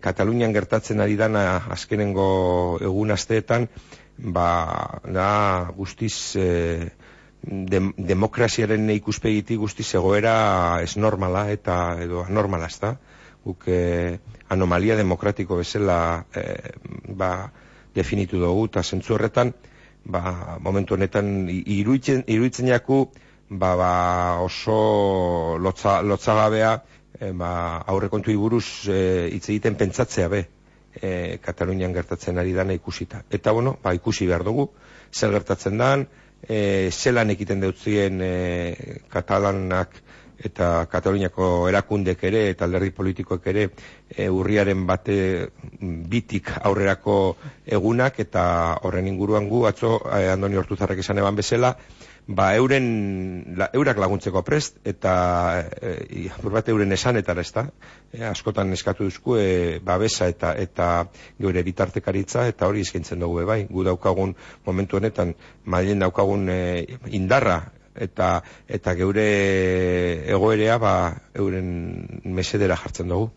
Katalunian gertatzen ari dana azkenengo egun asteetan, da guztiz demokraziaren ikuspegitik guztiz egoera ez normala eta edo anormala, ezta? Guk anomalia demokratiko bezala definitu dugu, eta zentzu horretan, momentu honetan iruditzen jaku, oso lotzagabea, aurrekontuei buruz hitz egiten pentsatzea be, Katalunian gertatzen ari dana ikusita. Eta ikusi behar dugu, zer gertatzen dan, zelan egiten deutzien katalanak eta Kataluniako erakundek ere eta alderdi politikoek ere urriaren bitik aurrerako egunak, eta horren inguruan gu atzo Andoni Ortuzarrek esan eban bezala, eurak laguntzeko prest, eta euren esanetara, ezta? Askotan eskatu duzku babesa eta geure bitartekaritza, eta hori eskaintzen dugu bai. Gu daukagun momentu honetan, Madrilen daukagun indarra, eta geure egoerea euren mesedera jartzen dugu.